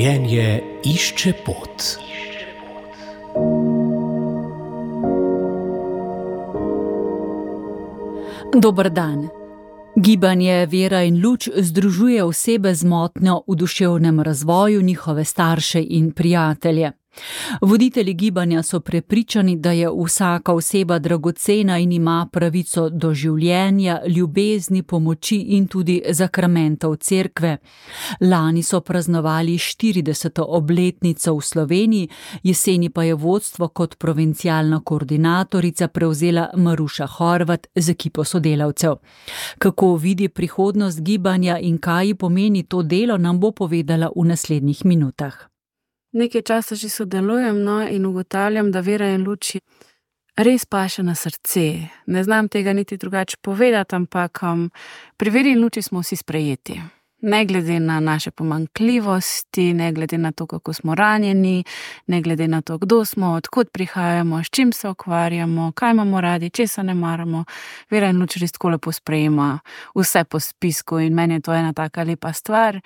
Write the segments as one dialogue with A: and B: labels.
A: Življenje išče pot.
B: Dober dan. Gibanje Vera in luč združuje osebe z motnjo v duševnem razvoju, njihove starše in prijatelje. Voditelji gibanja so prepričani, da je vsaka oseba dragocena in ima pravico do življenja, ljubezni, pomoči in tudi zakramentov cerkve. Lani so praznovali 40. obletnico v Sloveniji, jeseni pa je vodstvo kot provincialna koordinatorica prevzela Maruša Horvat z ekipo sodelavcev. Kako vidi prihodnost gibanja in kaj ji pomeni to delo, nam bo povedala v naslednjih minutah.
C: Nekaj časa že sodelujem, in ugotavljam, da Vera in luč res paše na srce. Ne znam tega niti drugače povedati, ampak pri Veri in luči smo vsi sprejeti. Ne glede na naše pomanjkljivosti, ne glede na to, kako smo ranjeni, ne glede na to, kdo smo, odkud prihajamo, s čim se ukvarjamo, kaj imamo radi, česa ne maramo. Vera in luč res tako lepo sprejema vse po spisku in meni je to ena taka lepa stvar.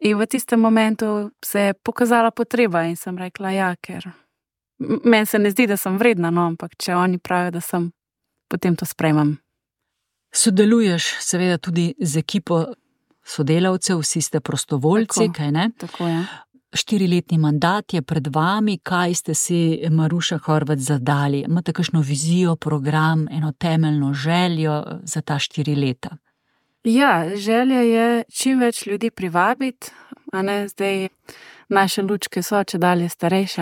C: In v tistem momentu se je pokazala potreba in sem rekla, ja, ker meni se ne zdi, da sem vredna, ampak če oni pravijo, da sem, potem to sprejmem.
B: Sodeluješ seveda tudi z ekipo sodelavcev, vsi ste prostovoljci, kaj ne?
C: Tako je.
B: 4-letni mandat je pred vami, kaj ste si, Maruša Horvat, zadali? Imate kakšno vizijo, program, eno temeljno željo za ta 4 leta?
C: Ja, želja je čim več ljudi privabiti, zdaj naše lučke so čedalje starejše,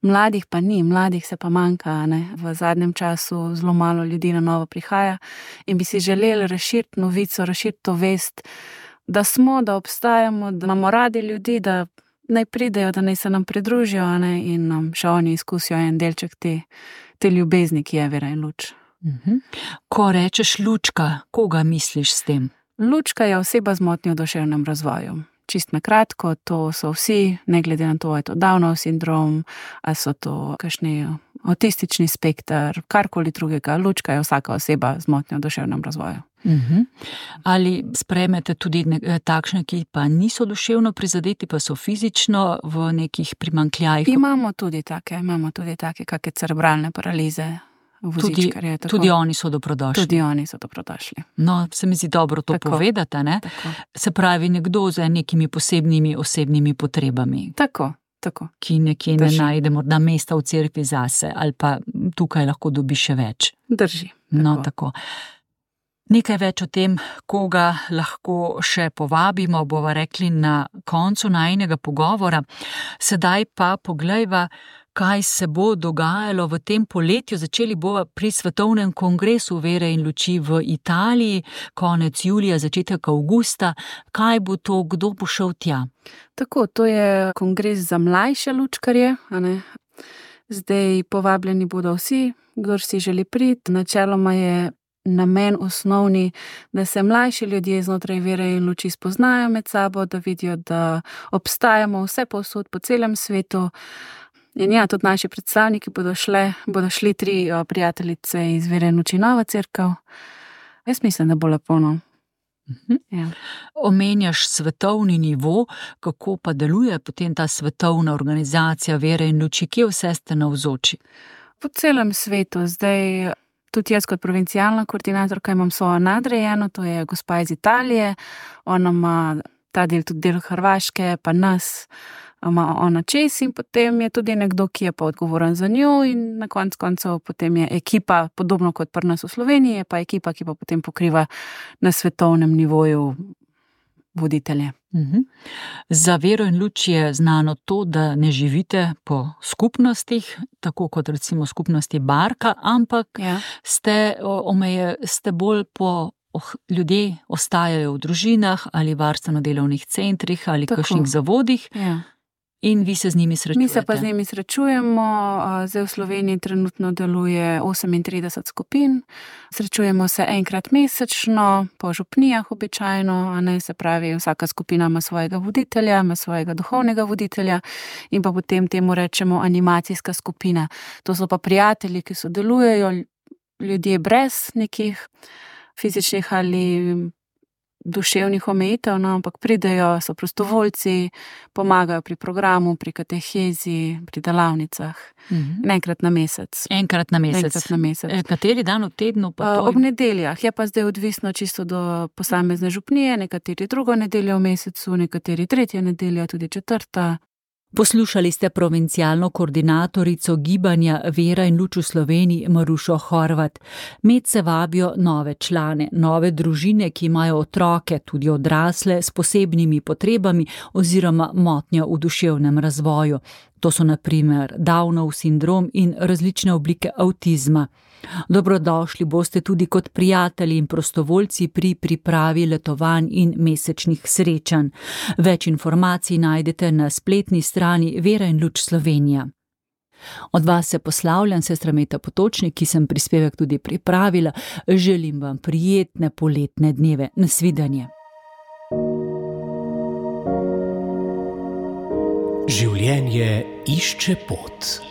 C: Mladih pa ni, mladih se pa manjka, V zadnjem času zelo malo ljudi na novo prihaja in bi si želeli razširiti novico, razširiti to vest, da smo, da obstajamo, da imamo radi ljudi, da naj pridejo, da naj se nam pridružijo, in še oni izkusijo en delček te ljubezni, ki je Vera in luč.
B: Ko rečeš lučka, koga misliš s tem?
C: Lučka je oseba z motnjo v duševnem razvoju. Čist na kratko, to so vsi, ne glede na to, je to Downov sindrom, ali so to kakšni avtistični spekter, karkoli drugega. Lučka je vsaka oseba z motnjo v duševnem razvoju.
B: Ali sprejmete tudi takšne, ki pa niso duševno prizadeti, pa so fizično v nekih primanjkljajih?
C: Imamo tudi take, kakšne cerebralne paralize.
B: Tudi oni so dobrodošli.
C: Tudi oni so dobrodošli.
B: No, se mi zdi dobro to povedati, ne?
C: Tako.
B: Se pravi, nekdo z nekimi posebnimi osebnimi potrebami.
C: Tako.
B: Ki nekje ne najde morda mesta v cerkvi zase, ali pa tukaj lahko dobi še več.
C: Drži.
B: No, tako. Nekaj več o tem, koga lahko še povabimo, bova rekli na koncu najinega pogovora. Sedaj pa poglejva, kaj se bo dogajalo v tem poletju. Začeli bova pri svetovnem kongresu Vere in luči v Italiji, konec julija, začetek avgusta. Kaj bo to, kdo bo šel tja?
C: Tako, to je kongres za mlajše lučkarje, Zdaj povabljeni bodo vsi, kdor si želi priti. Načeloma je namen osnovni, da se mlajši ljudje znotraj Vere in luči spoznajo med sabo, da vidijo, da obstajamo vse povsod po celem svetu. In ja, tudi naši predstavniki bodo šli 3 prijateljice iz Vere in luči Nova cerkev. Jaz mislim, da bo lepo, Ja.
B: Omenjaš svetovni nivo, kako pa deluje potem ta svetovna organizacija Vere in luči, kje vse ste navzoči?
C: Po celem svetu, zdaj tudi jaz kot provincialna koordinatorka imam svojo nadrejeno, to je gospa iz Italije, ona ima ta del, tudi del Hrvaške, pa nas ima ona čez in potem je tudi nekdo, ki je pa odgovoren za njo in na koncu koncev potem je ekipa, podobno kot pri nas v Sloveniji, je pa ekipa, ki pa potem pokriva na svetovnem nivoju voditelje.
B: Za Vero in luč je znano to, da ne živite po skupnostih, tako kot recimo skupnosti Barka, ampak ste bolj po ljudje ostajajo v družinah ali varstveno-delovnih centrih ali kakšnih zavodih. In vi se z njimi srečujete?
C: Mi se pa z njimi srečujemo. Zdaj v Sloveniji trenutno deluje 38 skupin. Srečujemo se enkrat mesečno, po župnijah običajno, se pravi, vsaka skupina ima svojega voditelja, ima svojega duhovnega voditelja in pa potem temu rečemo animacijska skupina. To so pa prijatelji, ki sodelujejo, ljudje brez nekih fizičnih ali duševnih omejitev, no, ampak pridejo, so prostovoljci, pomagajo pri programu, pri katehezi, pri delavnicah. Enkrat na mesec.
B: Enkrat na mesec. Kateri dan v tednu pa to?
C: Ob nedeljah. Je pa zdaj odvisno čisto do posamezne župnije, nekateri drugo nedeljo v mesecu, nekateri tretjo nedeljo, tudi četrta.
B: Poslušali ste provincialno koordinatorico gibanja Vera in luč v Sloveniji Marušo Horvat. Medse vabijo nove člane, nove družine, ki imajo otroke, tudi odrasle, s posebnimi potrebami oziroma motnjo v duševnem razvoju. To so na primer Downov sindrom in različne oblike avtizma. Dobrodošli boste tudi kot prijatelji in prostovoljci pri pripravi letovanj in mesečnih srečanj. Več informacij najdete na spletni strani Vera in luč Slovenija. Od vas se poslavljam, sestra Meta Potočnik, ki sem prispevek tudi pripravila. Želim vam prijetne poletne dneve. Nasvidenje.
A: Življenje išče pot.